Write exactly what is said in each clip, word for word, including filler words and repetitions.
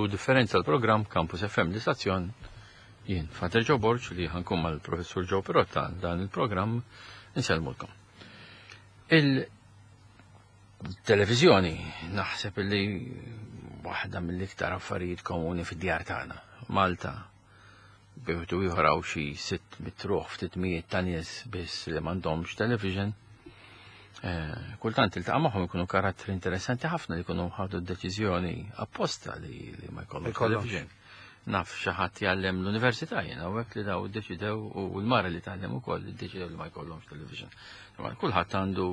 Differenza, l-programm Campus F M, l-istazzjon. Jien, Father Joe Borg, li ħa nkun mal-professur Joe Pirotta dan il-programm, insellmulkom. Il-televizjoni naħseb li waħda mill-iktar affarijiet komuni fid-djar tagħna. Malta biħtu ieħor hawn xi sitt mitt ruħ, ftit mijiet ta' nies biss li m'għandhomx television. Eh, kultant iltaqa' magħhom, ikunu karattri interessanti ħafna li jkunu ħadu d-deċiżjoni apposta li, li ma jkollhomx Jkollhomx. television. Naf xi ħadd jgħallem l-università jiena u hekk li daw iddeċidew u l-mara li tgħallem ukoll iddeċidew li ma jkollhomx television. Imma kulħadd għandu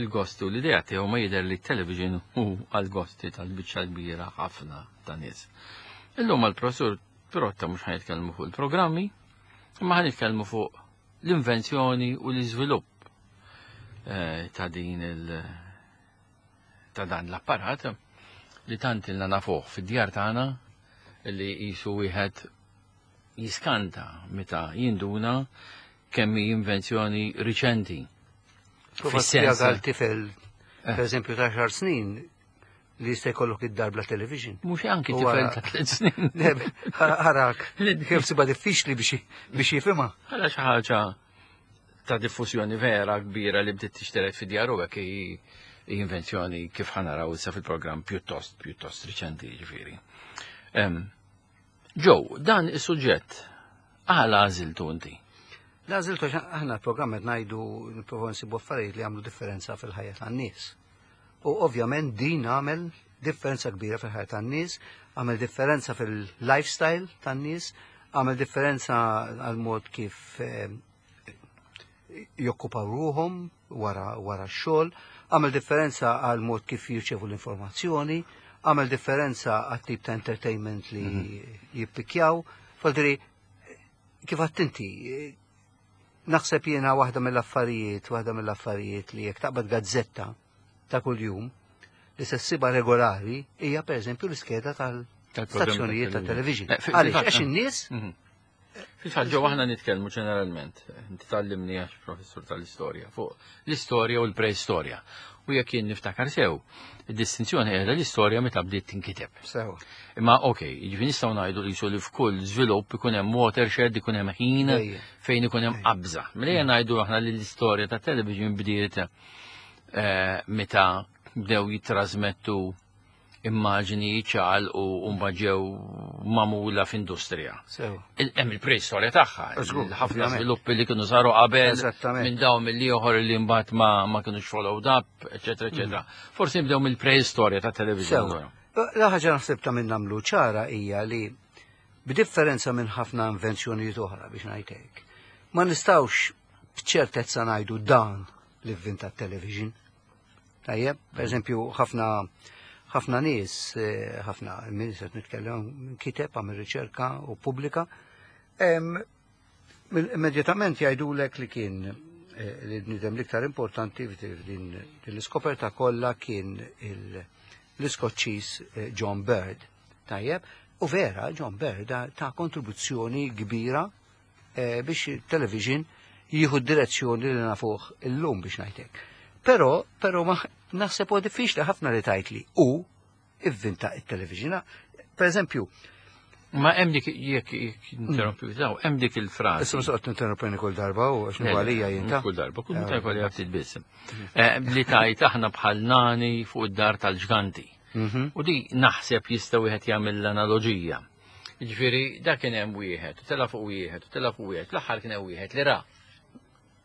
il-gosti u l-idea tiegħu, ma jidher li t-television hu għal-gosti tal-biċċa kbira ħafna ta' nies. Illum għal-professur Pirotta mhux ħa nitkellmu fuq il-programmi, imma ħa nitkellmu fuq l-invenzjoni u l-iżvilupp eh, ta' din il ta' dan l-apparat li tant ilna nafuh fid-djar tagħna li jisu wieħed jiskanta meta jinduna kemm hi invenzjoni riċenti. Prova Fis-sens- spjega l-tifel, Eh. per eżempju, ta' għaxar snin li jista' jkollok id-dar bla television. Mhux anki U tifel wara- ta' tliet snin. Le, ħarak, kif sibha diffiċli biex biex jifhimha. Għala xi ħaġa ta' diffużjoni vera kbira li bdiet tixteret fid-djar u hekk hi hi invenzjoni, kif ħa naraw issa fil-programm, pjuttost pjuttost riċenti ġifieri. Em, Joe, dan is-suġġett għala għażiltu inti? Għażiltu għax aħna l-programm qed ngħidu nipprovaw nsibu affarijiet li għamlu differenza fil-ħajja tan-nies. U ovvjament din għamel differenza kbira fil-ħajja tan-nies, għamel differenza fil-lifestyle tan-nies, għamel differenza għal mod kif eh, jokkupaw ruhom wara wara x-xogħol, għamel differenza għal mod kif jirċevu l-informazzjoni, għamel differenza għat tip ta' entertainment li jippikjaw. Faldiri, kif għedt inti, naħseb jiena waħda mill-affarijiet, waħda mill-affarijiet li jekk taqbad gazzetta ta' kuljum li se ssibha regolari hija, pereżempju, l-iskeda tal-stazzjonijiet ta' television. Eh, fi- Għaliex, fil-fatt, għax in-nies Mhm. Fil-fatt, Joe, aħna nitkellmu ġeneralment, inti tgħallimni għax professur tal-istorja, fuq l-istorja u l-preistorja. U jekk jien niftakar sew, id-distinzjoni qiegħda l-istorja meta bdiet tinkiteb. Sew. Imma ok, jiġifieri nistgħu ngħidu li li f'kull żvilupp ikun hemm watershed, ikun hemm ħin Ejja. fejn ikun hemm qabża. Mela ngħidu aħna li l-istorja ta' television bdiet eh, meta bdew jitrasmettu immaġini ċal u mbagħad ġew magħmula f'industrija. Sew. Il- Hemm il-preistorja tagħha, Żgur, ħafna ovvjament. żviluppi li kienu saru qabel Eżattament. minn dawn mill-ieħor li mbagħad ma ma kinux followed up, eċetera, eċetera. Forsi nibdew mill-preistorja ta' television. Sew. La ħaġa naħseb ta' minn nagħmlu ċara hija li b'differenza minn ħafna invenzjonijiet oħra, biex ngħid hekk, ma nistgħux b'ċertezza ngħidu dan li vvinta t-television. Tajjeb, per eżempju, ħafna ħafna nies, eh, ħafna nies qed nitkellem kiteb, għamel riċerka u pubblika, em, mill- immedjatament jgħidulek li kien eh, li bniedem l-iktar importanti f'din din l-iskoperta kollha kien il- l-Iskoċċiż eh, John Bird. Tajjeb, u vera John Bird ta kontribuzzjoni kbira eh, biex il-television jieħu d-direzzjoni li nafuh illum, biex ngħidlek. Però, però ma naħseb huwa diffiċli ħafna li tgħid li hu ivvinta it-television. Per eżempju, Ma hemm dik, jekk jekk interrompi, daw, hemm dik il-frażi. Issa msoqt interrompini kull darba u għax għalija jinta. Kull darba, kull meta jkolli ftit biss. Eh, Li tajt aħna bħal nani fuq id-dar tal-ġganti. Mhm. U di naħseb jista' wieħed jagħmel l-analoġija. Jiġifieri dak kien hemm wieħed, u tela fuq wieħed, u tela fuq wieħed, l-aħħar kien hemm wieħed li ra.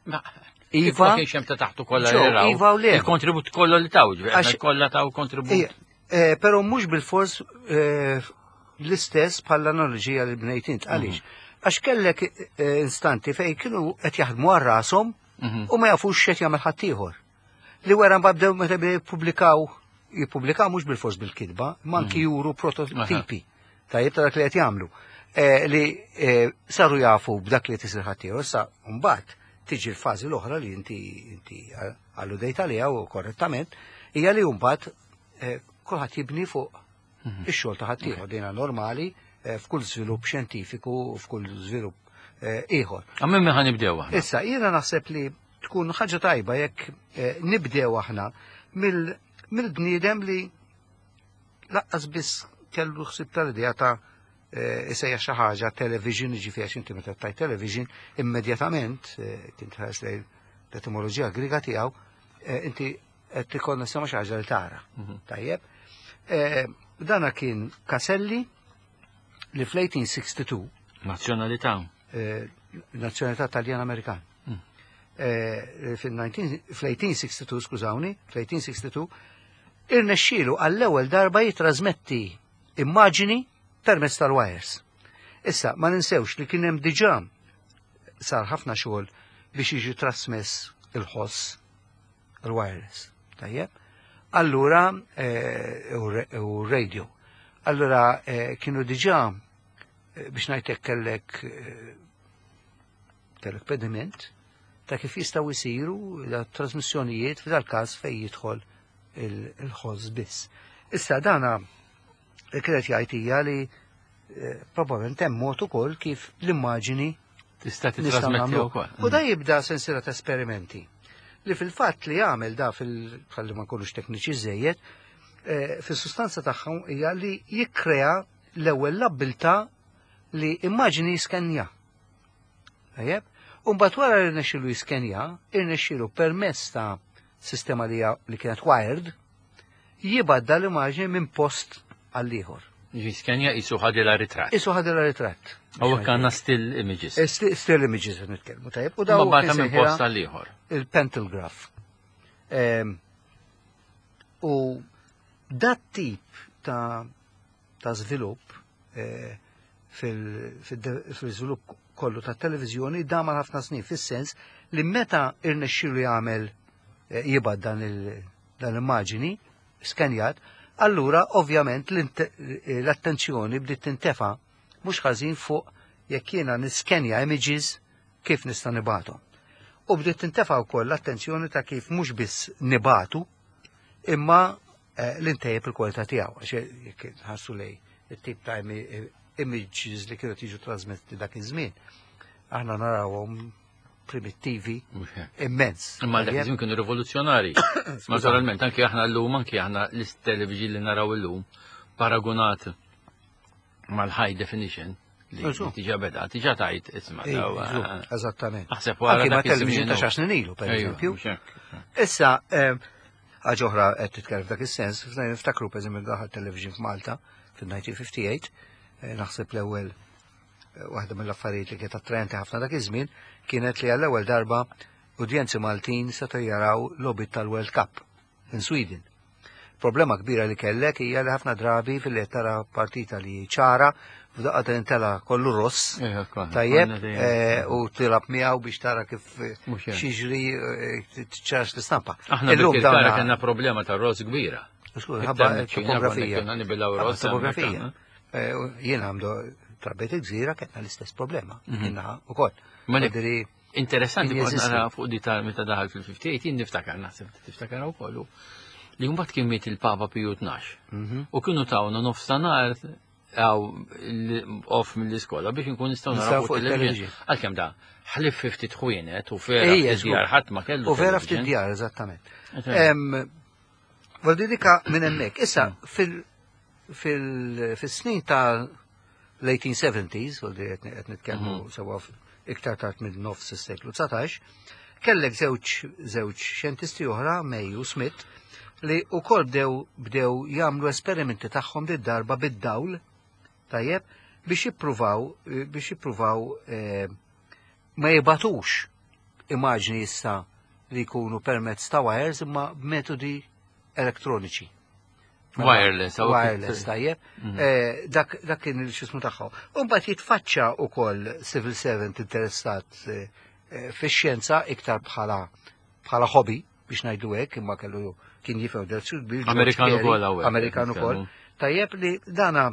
Ma Iva. kif ma kienx hemm ta' taħtu kollha li Joe, raw. iva u le. Il-kontribut kollu li taw, ġifieri aħna Għax- kollha taw kontribut. Ija, eh, Però mhux bil-fors eh, l-istess bħall-analoġija li bnejt int. Għaliex? Għax kellek eh, instanti fej kienu qed jaħdmu għal rashom Mhm. u ma jafux x'qed jagħmel ħaddieħor. Li wara mbagħad bdew meta bdew jippubblikaw, jippubblikaw mhux bil-fors bil-kitba, ma anki juru prototipi. Tajjeb, ta' dak li qed jagħmlu. Eh, Li eh, saru jafu b'dak li qed isir ħaddieħor. Issa mbagħad tiġi l-fażi l-oħra li inti inti alludejt għaliha u korrettament, hija li mbagħad eh, kulħadd jibni fuq ix-xogħol ta' ħaddieħor. Dina normali eh, f'kull żvilupp xjentifiku u f'kull żvilupp eh, ieħor. Għammin minn ħa nibdew aħna. Issa, jiena naħseb li tkun ħaġa tajba jekk eh, nibdew aħna mill- mill-bniedem li lanqas biss kellu ħsib tal-idea ta' eh, isejjaħ xi ħaġa television, jiġifieri għax inti meta tgħid television immedjatament eh, kien tħares lejn l-etimoloġija Griega tiegħu, eh, inti qed tikkonnessa ma' xi ħaġa li tara. Mhm. Tajjeb. Eh, Dana kien Caselli li fl-eighteen sixty-two Nazzjonalità. eh, nazzjonalità Taljan-Amerikan. Mm. Eh, fil-nineteen fl-eighteen sixty-two, skużawni, fl-eighteen sixty-two, irnexxielu għall-ewwel darba jitrasmetti immaġini permezz tal-wires. Issa, ma ninsewx li kien hemm diġà sar ħafna xogħol biex jiġi trasmess il-ħoss il-wireless. Tajjeb? Allura, eh, u re- u radio. Allura, eh, kienu diġà eh, biex ngħidlek kellek eh, kellek pediment ta' kif jistgħu jsiru la trasmissjonijiet f'dal każ fejn jidħol il- il-ħoss biss. Issa dana li kienet jgħid hija li eh, probabbilment hemm mod ukoll kif l-immaġini Tista' nistgħu titrasmetti nagħmlu. wkoll. U da jibda sensiela ta' esperimenti li fil-fatt li jagħmel da fil ħalli ma nkunux tekniċi żejjed, eh, fis-sustanza tagħhom hija li jikkrea l-ewwel l-abbiltà li immaġini jiskenja. Tajjeb? U mbagħad wara li rnexxielu jiskenja, irnexxielu permezz ta' sistema li hija- li kienet wired, jibgħat l-immaġini minn post għall ieħor. Jiskenja qisu ħadilha ritratt. Qisu ħadilha ritratt. U għandna still images. Eh, sti- Still images qed nitkellmu, tajjeb. U Ma daw bagħatha minn kien post għal ieħor. il-pantograph. Ehm, U dat tip ta' ta' żvilupp eh, fil- fil- fil-żvilupp kollu ta' televizjoni dam għal ħafna snin, fis-sens li meta irnexxielu jagħmel eh, jibgħat dan il- dan l-immaġini skanjat, allura ovvjament l-int- l-attenzjoni bdiet tintefa' mhux ħażin fuq jekk jiena niskenja images kif nista' nibgħathom. U bdiet tintefa' wkoll l-attenzjoni ta' kif mhux biss nibagħtu imma eh, l-intejjeb il-kwalità tiegħu, għax jekk ħarsu lej it-tip ta' imi- images li kienu tiġu trasmetti dak iż-żmien, aħna narawhom primittivi Mhux hekk. immens. Imma dak Tajjeb? iż-żmien kienu rivoluzzjonari. Naturalment, anki aħna llum, anki aħna l-television li naraw illum, paragonat mal-high definition li Eżu. diġà beda, diġà tajt isma' Ej, daw, eżu, eh, eżattament. Aħseb wara Anki ma' dak iż-żmien television ta' u- xar snin ilu, per Ejwa, eżempju. mhux hekk. Issa, eh, ħaġa oħra qed titkellem f'dak is-sens, niftakru per eżempju daħal television f'Malta fil-nineteen fifty-eight, eh, naħseb l-ewwel eh, waħda mill-affarijiet li kienet attraenti ħafna dak iż-żmien kienet li għall-ewwel darba udjenzi Maltin setgħu jaraw logħbiet tal-World Cup in Sweden. Problema kbira li kellek hija li ħafna drabi fil-li tara partita li ċara, f'daqqa tintela kollu ross, Ejwa, konna- tajjeb, konna dejjem. eh, u tilgħab miegħu biex tara kif eh, Mhux hekk. xiġri eh, ċarax l-istampa. Aħna Illum bil-Kirkara dawna- kellna problema ta' ross kbira. Skur, Iktar ħabba miċ-Ċina topografija. konna nibilgħu Ħabba ross topografija. hemmhekk, Eh, u Jiena għamdu trabbejt il-gżira, kellna l-istess problema. Mhm. Kienna u koll. Ma li- Ġifieri, Interessanti Kien kont jeżisti. nara fuq di ta' meta daħal fil-fifty-eight, jien niftakar, naħseb tiftakar ukoll, li mbagħad kien miet il-Papa Piju Tnax. mhm. U kienu tawna nofstanhar għaw off mill-iskola biex nkun nistgħu naraw Nistgħu fuq fuq il-television. il-television. Għalkemm da ħlif fifty ħwienet u vera Ejja, ftit djar żgur. ħadd ma kellu U vera ftit television. djar, eżattament. Eżatt. Em, Voldiri dika minn hemmhekk. Issa, fil- fil- fis-snin ta' l-eighteen seventies, voldiri qed nitkellmu sewa f- iktar tard minn nofs is-seklu dsatax, kellek żewġ żewġ xjentisti oħra, May u Smith, li wkoll bdew bdew jagħmlu esperimenti tagħhom dit darba bid-dawl, tajjeb, biex jippruvaw biex jippruvaw eh, ma jibatux immaġni issa li jkunu permezz ta' wires imma b'metodi elettroniċi. Mela, Wireless, għaw- Wireless, tajjeb. Mhm. Eh, Dak dak kien il-xismu tagħhom. U mbagħad jitfaċċa ukoll civil servant interessat eh, eh, fix-xjenza iktar bħala bħala hobby biex ngħidu hekk, imma kellu kien jifhem del bil Amerikan ukoll hawnhekk, Amerikan ukoll. nitkellmu. Tajjeb, li dana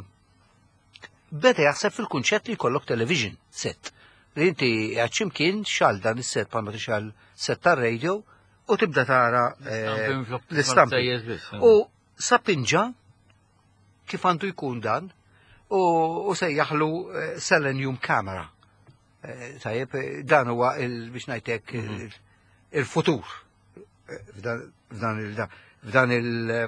beda jaħseb fil-kunċett li jkollok television set. Li inti għadximkien xal dan is-set bħalma tixgħel set tar-radio u tibda tara eh, l-istampi. U sapinġa kif għandu jkun dan u, u sejjaħlu eh, Selenium Camera. Eh, Tajjeb, eh, dan huwa il, biex ngħidlek il- il-futur eh, f'dan f'dan il f'dan il eh,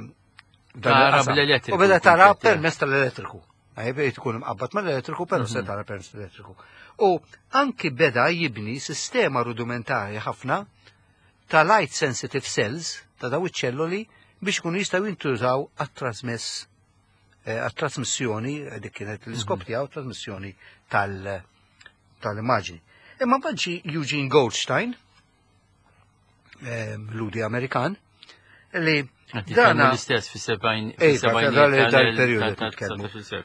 Tara bl-elettriku. U beda tara permezz tal-elettriku. Għajb tkun imqabbad mal-elettriku, però se tara permezz tal-elettriku. U anki beda jibni sistema rudimentari ħafna ta' light sensitive cells, ta' daw iċ-ċelloli, biex kunu jistgħu jintużaw għat-trasmess għat-trasmissjoni, dik kienet l-iskop tiegħu, trasmissjoni tal-immaġni. Imma mbagħad ġie Eugene Goldstein, Lhudi Amerikan, li dana l-istess fis-sebgħin dal-perjodu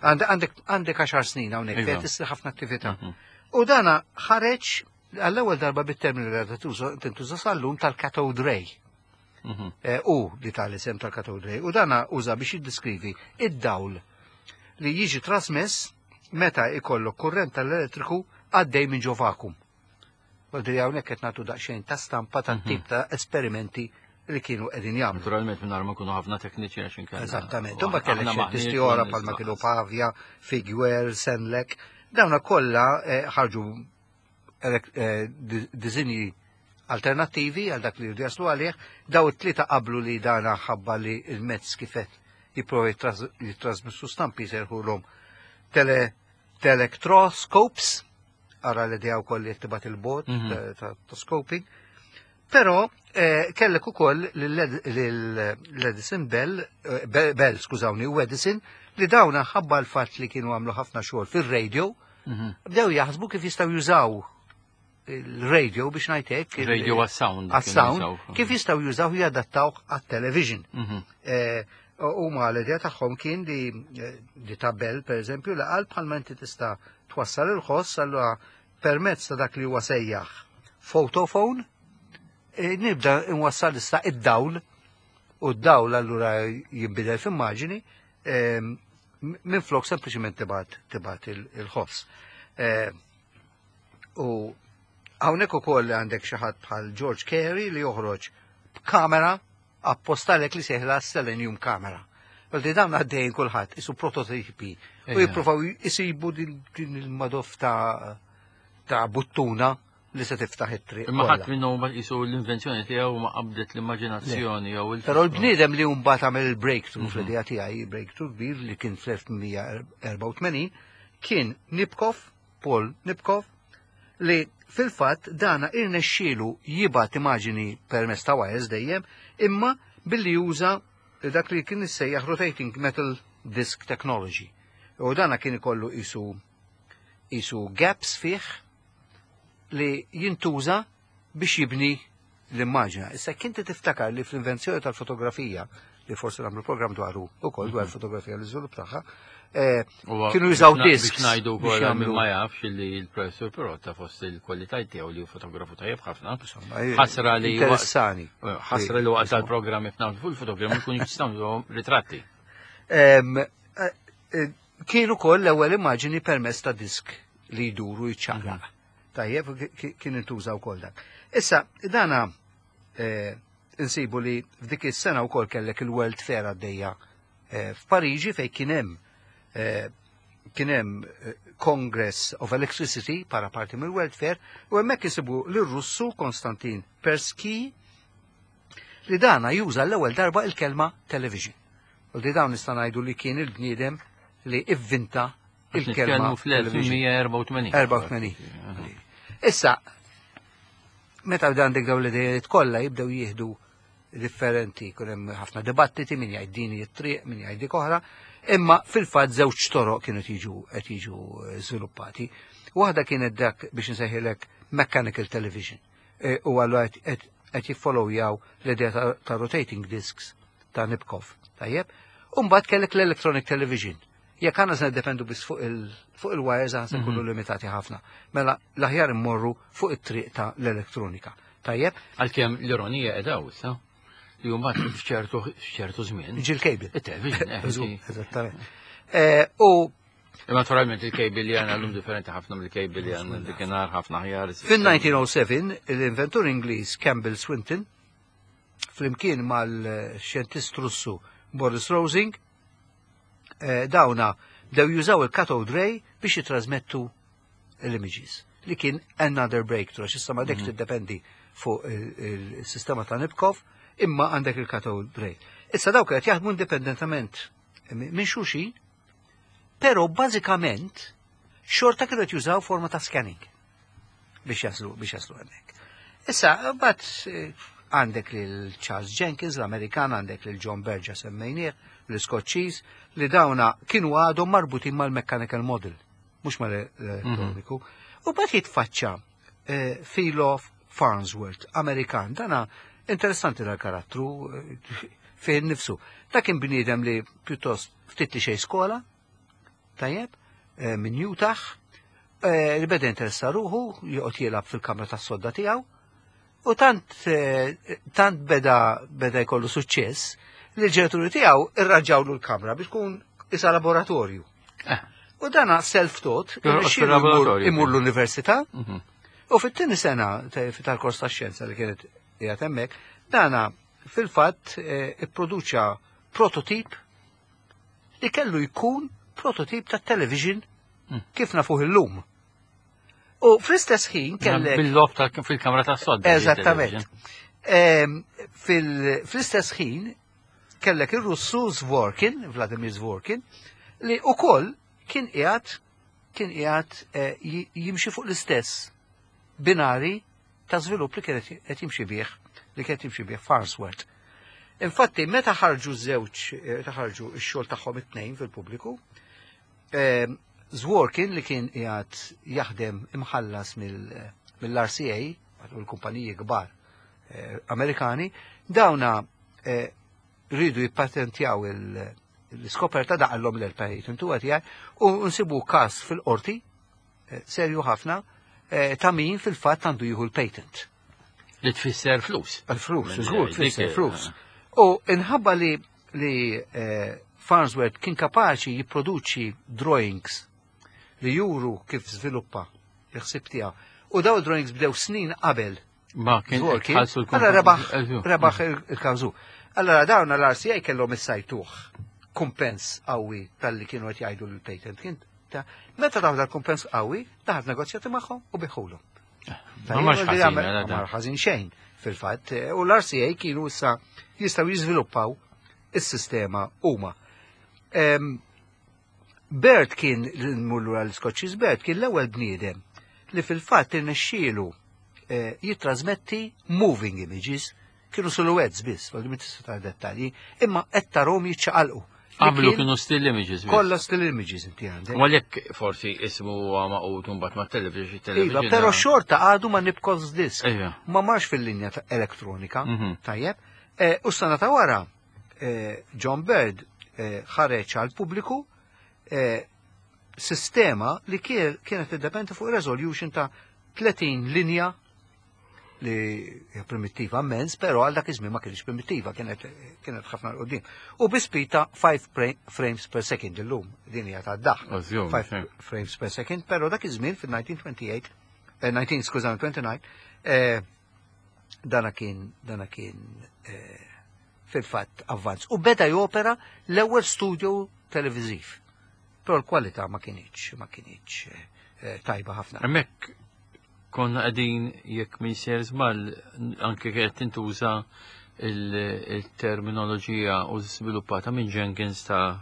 Għandek għaxar snin hawnhekk fejn tissir ħafna attività. U dana ħareġ għall-ewwel darba bit-termini li tintuża sal-lum tal-cathode ray. U li tal-isem tal-cathode ray. U dana uża biex jiddeskrivi id-dawl li jiġi trasmess meta ikollok kurrent tal-elettriku għaddej minn ġo vakum. Għaldri hawnhekk qed nagħtu daqsxejn ta' stampa ta' tip ta' esperimenti li kienu qegħdin jagħmlu. Naturalment minn ma kunu ħafna tekniċi għax inkella. Eżattament. Imma kellek xjentisti oħra bħalma kienu Pavia, Figuer, Senlek. Dawna kollha ħarġu disinji alternattivi għal dak li jridu jaslu għalih, daw it-tlieta qablu li dana ħabba li il-mezz kifet jipprova jitrasmissu stampi serħulhom tele telectroscopes, ara l-idea wkoll li tibgħat il-bot ta' scoping. Però kellek ukoll l-Edison Bell, Bell, skużawni, u Edison, li dawna ħabba l-fatt li kienu għamlu ħafna xogħol fir-radio, bdew jaħsbu kif jistgħu jużaw il-radio biex ngħidlek. Radio għas-sound. Għas-sound, kif jistgħu jużaw jadattawh għat-television. U ma l-idea tagħhom kien li di ta' Bell, per eżempju, li qal bħalma inti tista' twassal il-ħoss allura permezz ta' dak li huwa sejjaħ photophone, nibda nwassal issa id-dawl, u d-dawl allura jinbidel f'immaġini, minn flok sempliċiment tibgħat tibgħat il-ħoss. U hawnhekk ukoll għandek xi ħadd bħal George Carey li joħroġ b'kamera appostalek li seħla Selenium kamera. Għaldi dawn għaddejn kulħadd isu prototipi u jippruvaw jisibu din il-madof ta' ta' buttuna li se tiftaħ it-triq. Imma ħadd minnhom jisu l-invenzjoni tiegħu ma qabdet l-immaġinazzjoni jew il. Però l-bniedem li mbagħad għamel il-breakthrough fl-idea tiegħi, breakthrough kbir li kien fl-elf mija erbgħa u tmenin, kien Nipkow, Paul Nipkow, li fil-fatt dana irnexxielu jibgħat immaġini permezz ta' wires dejjem, imma billi juża dak li kien issejjaħ rotating metal disc technology. U dana kien ikollu isu isu gaps fih li jintuża biex jibni l-immaġina. Issa kinti tiftakar li fl-invenzjoni tal-fotografija, li forsi nagħmlu program dwaru ukoll dwar fotografija l-iżvilupp tagħha, kienu jużaw disks. Biex ngħidu wkoll min ma jafx li l-professur Pirotta fost il-kwalità tiegħu li hu fotografu tajjeb ħafna. Ħasra li interessani. Ħasra li waqt tal-programm qed nagħmlu fuq il-fotogrammi jkunu jistgħu ritratti. Kienu wkoll l-ewwel immaġini permezz ta' disk li jduru jiċċaqlaq. Tajjeb, kien intuża wkoll dak. Issa, dana insibu li f'dik is-sena wkoll kellek il-World Fair għaddejja f'Pariġi fejn kien hemm kien hemm Congress of Electricity para parti mill-World Fair u hemmhekk insibu lir-Russu Konstantin Persky li dana juża l-ewwel darba il-kelma television. U li dawn nista' ngħidu li kien il-bniedem li ivvinta il-kelma fl-elf mija erbgħa u tmenin. erbgħa u tmenin. Issa, meta għandek dawn l-idejiet kollha jibdew jieħdu differenti, kun hemm ħafna dibattiti min jgħid din it-triq, min jgħid dik oħra, imma fil-fatt żewġ toroq kienu tiġu qed jiġu żviluppati. Waħda kienet dak biex nsejħilek mechanical television. U allura qed jiffollowjaw l-idea ta' rotating discs ta' Nipkow. Tajjeb? U mbagħad kellek l-electronic television. Jekk għandna se niddependu biss fuq il-wires għan se nkunu limitati ħafna. Mela l-aħjar immorru fuq it-triq ta' l-elettronika. Tajjeb? Għalkemm l-ironija qiegħda issa li mbagħad f'ċertu f'ċertu żmien. Ġi l-cable. It-television, eh, Eżattament. U naturalment il-cable li għandna llum differenti ħafna mill-cable li għandna dikinhar ħafna aħjar. Fin-nineteen oh seven l-inventur Ingliż Campbell Swinton flimkien mal-xjentist Russu Boris Rosing dawna bdew jużaw il-cathode ray biex jitrasmettu l-images li kien another breakthrough, għax issa ma dekx tiddependi fuq il-sistema ta' Nipkow, imma għandek il-cathode ray. Issa dawk qed jaħdmu indipendentament minn xulxin, però bażikament xorta kienu qed jużaw forma ta' scanning biex jaslu biex jaslu hemmhekk. Issa, mbagħad eh, għandek lil Charles Jenkins, l-Amerikan, għandek lil John Baird semmejnieh, l-Iskoċċiż, li dawna kienu għadhom marbutin mal-mechanical model, mhux mal-elettroniku. U mbagħad jitfaċċa eh, Philo Farnsworth, Amerikan, dana interessanti dal-karattru eh, fih nifsu. Da kien bniedem li pjuttost ftit li xejn skola, tajjeb, eh, minn Utah, eh, li beda interessa ruħu, joqgħod jilgħab fil-kamra tas-sodda tiegħu, u tant eh, tant beda beda jkollu suċċess li l-ġenituri tiegħu irranġawlu l-kamra biex tkun isa laboratorju. Eh. U dana self-taught, Jorqod irnexxielu jmur- fil-laboratorju. imur l-università, Mhm. u fit-tieni sena ta- tal-kors ta' xjenza li kienet qiegħed hemmhekk, dana fil-fatt eh, ipproduċa prototip li kellu jkun prototip ta' television Mm. kif nafuh illum. U fl-istess ħin kellek Bil-logħob ta' fil-kamra ta' sodda. Eżattament. Ehm, fil- Fl-istess ħin kellek ir-Russu Zworkin, Vladimir Zworkin, li ukoll kien qiegħed kien qiegħed eh, ji- jimxi fuq l-istess binari ta' żvilupp li kien qed jimxi bih li kien jimxi bih Farnsworth. Infatti, meta ħarġu żewġ, eh, meta ħarġu x-xogħol tagħhom it-tnejn fil-pubbliku, ehm, Zworkin li kien qiegħed jaħdem imħallas mill- mill-R C A, u l-kumpaniji kbar eh, Amerikani, dawna eh, rridu jippatentjaw il- l-iskoperta daqallhom l-patent intu għatijaj, u nsibu kas fil-qorti, eh, serju ħafna, eh, ta' min fil-fatt għandu jieħu l-patent. Li tfisser flus. Għal-flus, Minn żgur dik, tfisser eh, flus. U inħabba li li eh, Farnsworth kien kapaċi jipproduċi drawings li juru kif żviluppa il-ħsib tiegħu. U daw drawings bdew snin qabel Ma kien Zworkin, ħallsu l allora rebaħ rebaħ il- il-kawżu. Allora dawn l-R C A kellhom issajtuh kumpens qawwi tal-li kienu qed jgħidu l-patent. Kien ta' meta daw dal-kumpens qawwi, daħal negozjati magħhom u biħulhom. Ma marx ħażin, mela Ma dan. ħażin xejn fil-fatt. U l-R C A kienu issa jistgħu jiżviluppaw is-sistema huma. Em, Baird kien, l-mullu għal-Skoċċiż Baird kien l-ewwel bniedem li fil-fatt irnexxielu eh, jitrasmetti moving images, kienu silhouettes biss, għal tista' tara dettalji, imma qed tarahom jiċċaqalqu. Li Qablu kien kienu still images. biss. Kollha still images inti għandek. U għalhekk forsi ismu huwa maqut mbagħad ma' television, Iva, television. però xorta għadu ma Nipkow's disk. Iva. Ma marx fil-linja ta' elettronika, Mhm. tajjeb. Eh, U sena ta' wara, eh, John Baird eh, ħareġ għal pubbliku eh, sistema li kien- kienet tiddependi fuq resolution ta' tletin linja li hija primittiva immens, però għal dak iż-żmien ma kienx primittiva, kienet kienet ħafna 'l quddiem. U bi speed ta' five frames per second illum, din hija ta' daħ. Ożjum, five frames per second, però dak iż-żmien fil-elf disa' mija u tmenja u tletin, eh, disgħa u tletin, skużani, disgħa u tletin, eh, dana kien dana kien eh, fil-fatt avvanz. U beda jopera l-ewwel studio televiżiv. Però l-kwalità ma kienx ma kienx eh, tajba ħafna. Hemmhekk konna qegħdin, jekk min ser żball, anke kienet tintuża il-terminoloġija u żviluppata minn Jenkins ta'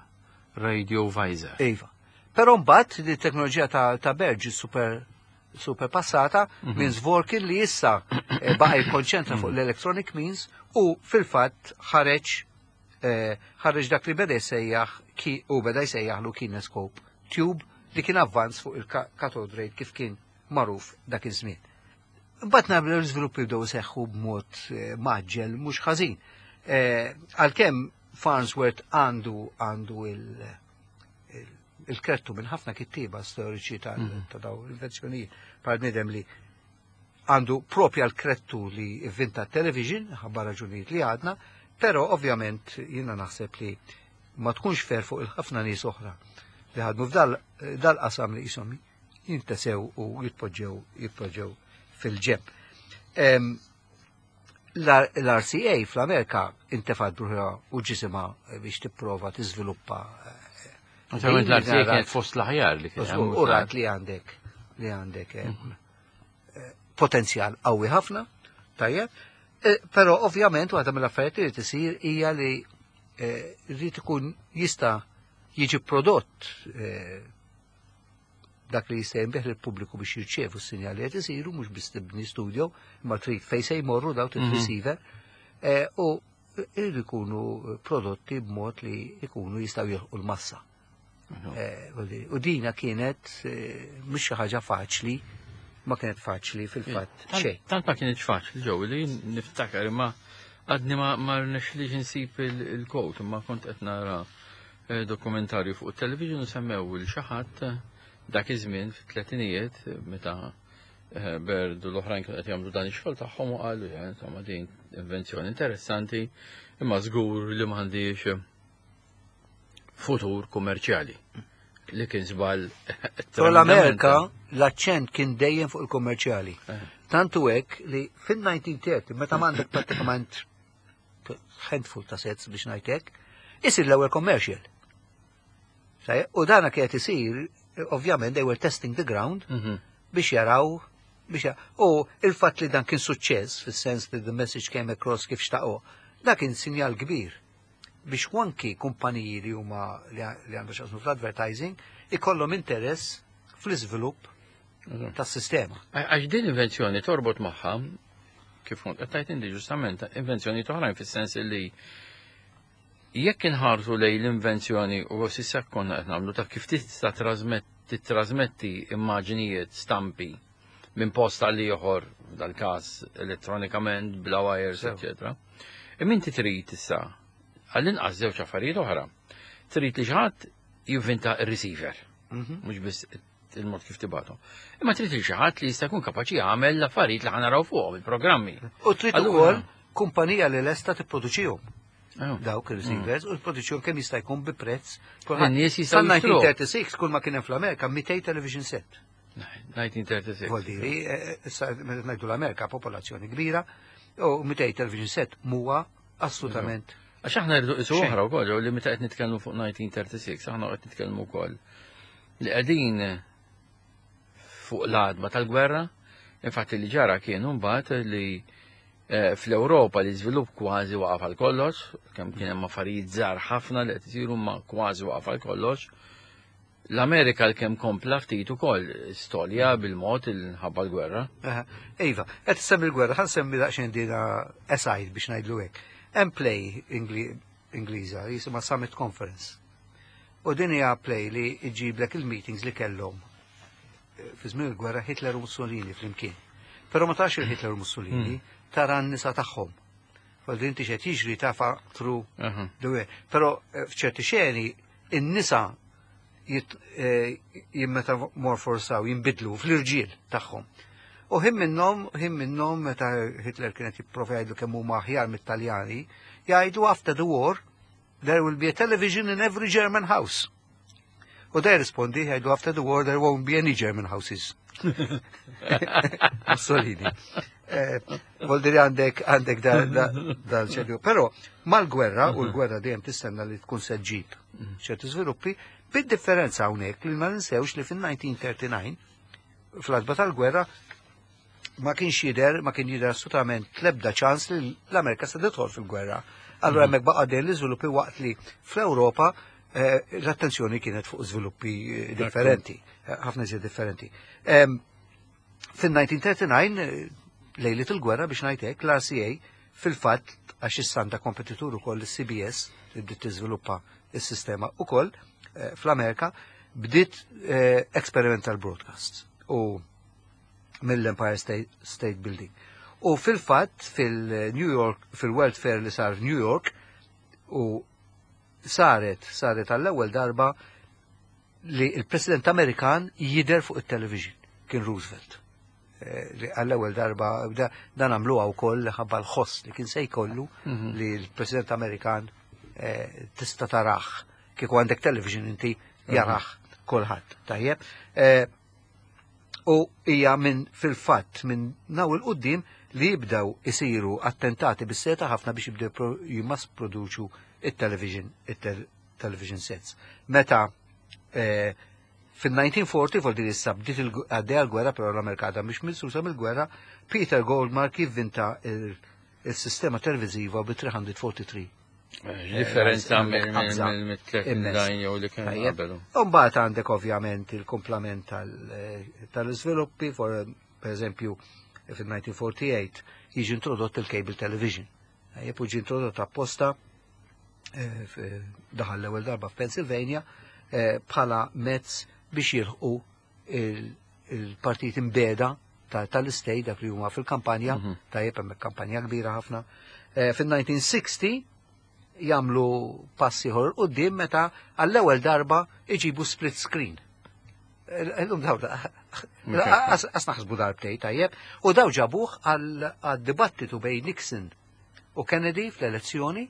Radio Visor. Iva. Però mbagħad li teknoloġija ta', ta' Baird super super passata mm -hmm. minn Zworkin li issa eh, baqa' jikkonċentra fuq l-electronic means u fil-fatt ħareġ eh, ħareġ dak li beda jsejjaħ ki u beda jsejjaħlu kinescope tube li kien avvanz fuq il-cathode ray kif kien magħruf dak iż-żmien. Mbagħad nablu l-iżviluppi bdew seħħu b'mod eh, mgħaġġel mhux ħażin. Eh, Għalkemm Farnsworth għandu għandu il- il-krettu minn ħafna kittiba storiċi ta' Mhm. ta' daw l-invenzjonijiet bħal bniedem li għandu propja l-krettu li inventa television, ħabba raġunijiet li għadna, però ovvjament jiena naħseb li ma tkunx fair fuq il-ħafna nies oħra li ħadmu f'dal dal-qasam li jisom jintesew u jitpoġġew jitpoġġew fil-ġenb. Em, L-R C A fl-Amerika intefat bruħa u ġisima biex tipprova tiżviluppa eh, Naturalment din l-R C A rat- kienet fost l-aħjar li kien hemm. U rat li għandek li għandek eh, eh, potenzjal qawwi ħafna, tajjeb, eh, però ovvjament waħda mill-affarijiet li tisir hija li eh, rrid ikun jista' jiġi prodott eh, dak li jista' jinbiegħ lill-pubbliku biex jirċievu s-sinjali qed isiru, mhux biss tibni studio, imma trid fejn se jmorru daw Mhm. receiver eh, u irridu jkunu prodotti b'mod li jkunu jistgħu jilħqu l-massa. Eh, vuol dire, u dina kienet eh, mhux xi ħaġa faċli, ma kienet faċli fil-fatt Tant- xejn. Tant ma kienx faċli ġew li niftakar, imma għadni ma ma rnexxlix insib il-quote, imma kont qed nara eh, dokumentarju fuq il-television u semmew il xi ħadd dak iż-żmien fit-tletinijiet meta eh, Baird u l-oħrajn kienu qed jagħmlu dan ix-xogħol tagħhom u qalu, "Ja, insomma, din invenzjoni interessanti, imma żgur li m'għandix futur kummerċjali", li kien żball. Però l-Amerika l-aċċent kien dejjem fuq il-kommerċjali. Eh. Tantu hekk li fin-elf disa' mija u tletin, meta m'għandek prattikament handful ta' sets biex ngħidlek, isir l-ewwel commercial. Sajja, u dana kienet isir, ovvjament they were testing the ground Mhm. biex jaraw biex ja- u il-fatt li dan kien suċċess fis-sens li the message came across kif xtaqo, dak kien sinjal kbir biex anki kumpaniji li huma li li għandu x'jaqsmu fl-advertising ikollhom interess fl-iżvilupp tas-sistema. Għax din invenzjoni torbot magħha, kif kont qed tgħid inti ġustament, invenzjoni oħrajn, fis-sens li jekk inħarsu lejn l-invenzjoni u s'issa konna qed nagħmlu ta' kif tista' titrasmetti immaġnijiet, stampi minn post għal ieħor, dal-każ elettronikament, bla wires, Sew. eċetera. Imma inti trid issa għall-inqas żewġ affarijiet oħra. Trid li xi ħadd jivvinta r-receiver, Mhm. mhux biss il-mod kif tibatu. Imma trid li xi ħadd li jista' jkun kapaċi jagħmel l-affarijiet li ħa naraw fuqhom il-programmi. U trid Allura- ukoll kumpanija li lesta tipproduċihom Oh. dawk il-receivers u tipproduċihom kemm jista' jkun bi prezz. In-nies jistgħu jixtruh. Sal-elf disa' mija u tlieta u tletin kull ma kien hemm fl-Amerika mitejn television set. elf disa' mija u tlieta u tletin. Vuol dire, eh, issa meta ngħidu l-Amerika, popolazzjoni kbira, u mitejn television set huwa assolutament. Għax aħna rridu qisu Xejn. oħra wkoll li meta qed nitkellmu fuq elf disa' mija u tlieta u tletin, aħna qed nitkellmu wkoll li qegħdin fuq l-għatba tal-gwerra. Infatti li ġara kienu mbagħad li eh, fl-Ewropa li żvilupp kważi waqaf għal kollox, kemm kien hemm affarijiet żgħar ħafna li qed isiru, ma kważi waqaf għal kollox. L-Amerika l-kemm kompla ftit ukoll storja bil-mod il-ħabba l-gwerra. Aha. Iva, qed semmi l-gwerra, ħa nsemmi daqsxejn dina aside biex ngħidlu hekk. Hemm play Ingli- Ingliża jisimha Summit Conference. U din hija play li iġiblek il-meetings li kellhom eh, fi żmien il-gwerra Hitler u Mussolini flimkien. Però ma tarax il-Hitler u Mussolini, tara n-nisa tagħhom. Vuol inti x'qed jiġri tafa through Aha. the way. Però eh, f'ċerti xeni in-nisa jit- eh, jimmetamorforsaw, jinbidlu fl-irġiel tagħhom. U ħin minnhom, ħin minnhom meta Hitler kienet jipprova jgħidu kemm huma aħjar mit-Taljani, jgħidu, "After the war there will be a television in every German house." U da jirrispondi, jgħidu, "After the war there won't be any German houses." Mussolini. Eh, Vuol dire għandek għandek da, da, da ċertu. Però mal-gwerra, u l-gwerra dejjem tistenna li tkun se ġġib ċerti żviluppi, bid-differenza hawnhekk li ma ninsewx li fin-elf disa' mija u tlieta u tletin, fl-għatba tal-gwerra, ma kienx jidher, ma kien jidher assolutament l-ebda ċans li l-Amerika se tidħol fil-gwerra. Allura hemmhekk baqa' dejjem l-iżviluppi waqt li fl-Ewropa eh, l-attenzjoni kienet fuq żviluppi eh, differenti, eh, ħafna iżjed differenti. Em, Fin-elf disa' mija u tlieta u tletin, eh, lejlet il-gwerra biex ngħidlek, l-R C A fil-fatt, għax issa għandha kompetitur ukoll il-C B S li bdiet tiżviluppa is-sistema ukoll eh, fl-Amerika, bdiet eh, experimental broadcast u mill-Empire State, State Building. U fil-fatt fil-New York, fil-World Fair li sar New York, u saret, saret għall-ewwel darba li il-President Amerikan jider fuq il-television, kien Roosevelt. Eh, li għall-ewwel darba da- dan għamluha wkoll ħabba l-ħoss li kien se jkollu Mhm. li l-President Amerikan eh, tista' taraħ. Kieku għandek television inti jaraħ kulħadd. Tajjeb. Eh, U hija minn fil-fatt minn naw il-qoddim li jibdaw isiru attentati bis-seta ħafna biex jibdew pro- jimmass produċu il-television, il-television sets. Meta eh, fil-elf disa' mija u erbgħa u erbgħin, vuol dire issa bdiet il- għaddejja l-gwerra, però l-Amerika għadha mhix misusa mill-gwerra, Peter Goldmark jivvinta il- il-sistema televiziva bi tliet mija u tlieta u erbgħin. Differenza mill-tlet design jew li kien qabel. Mbagħad għandek ovvjament il-kumplament tal-iżviluppi, per eżempju fil-elf disa' mija u tmienja u erbgħin jiġi introdott il-cable television. Tajjeb, u ġi introdott apposta daħal l-ewwel darba f'Pennsylvania bħala mezz biex jilħqu il-partit imbeda tal-istate dak li huma fil-kampanja, tajjeb hemm kampanja kbira ħafna. Fil-elf disa' mija u sittin jagħmlu passi ieħor quddiem meta għall-ewwel darba iġibu split screen. Illum daw qas naħsbu darbtej, tajjeb, u daw ġabuh għad-dibattitu bejn Nixon u Kennedy fl-elezzjoni,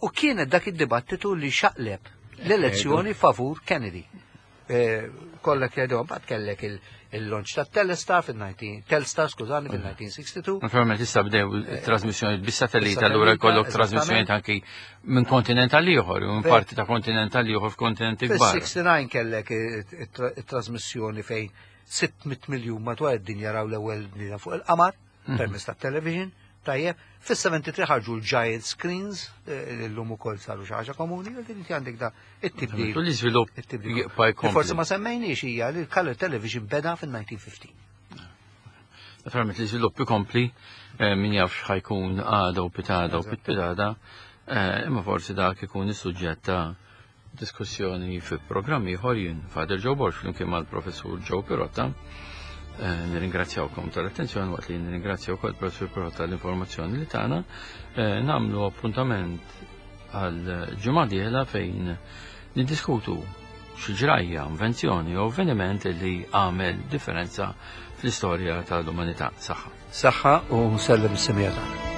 u kienet dak id-dibattitu li xaqleb l-elezzjoni favur Kennedy. Kollek jgħidu, mbagħad kellek il-launch ta' Telstar fil-nineteen Telstar, skużani, fil-nineteen sixty-two. Naturalment issa bdew trasmissjoni bis-satellita, allura jkollok trasmissjoni anki minn kontinent għal ieħor, minn parti ta' kontinent għal ieħor f'kontinenti kbar. Fis-sixty-nine kellek it-trasmissjoni fejn sitt mitt miljun madwar id-dinja raw l-ewwel bniedem fuq il-qamar permezz tat-television. Tajjeb, fis-seventy-three ħarġu l-giant screens, l-lum ukoll saru xi ħaġa komuni, u din inti għandek da it-tibdil. U l-iżvilupp It-tibdil. jibqa' jkompli. Forsi ma semmejniex hija li l-color television beda fin-nineteen fifteen. Naturalment l-iżvilupp ikompli, min jaf x'ħajkun għada u pitada u pitpitada, imma forsi dak ikun is-suġġett ta' diskussjoni fi programm ieħor. Jien Father Joe Borg flimkien mal-Professur Joe Pirotta. Nirringrazzjawkom tal-attenzjoni, waqt li nirringrazzjaw ukoll Professur Pirotta tal-informazzjoni li tagħna. Nagħmlu appuntament għal ġimgħa dieħla fejn niddiskutu xi ġrajja, invenzjoni jew avveniment li għamel differenza fl-istorja tal-umanità. Saħħa. Saħħa u nsellem is-semija tagħna.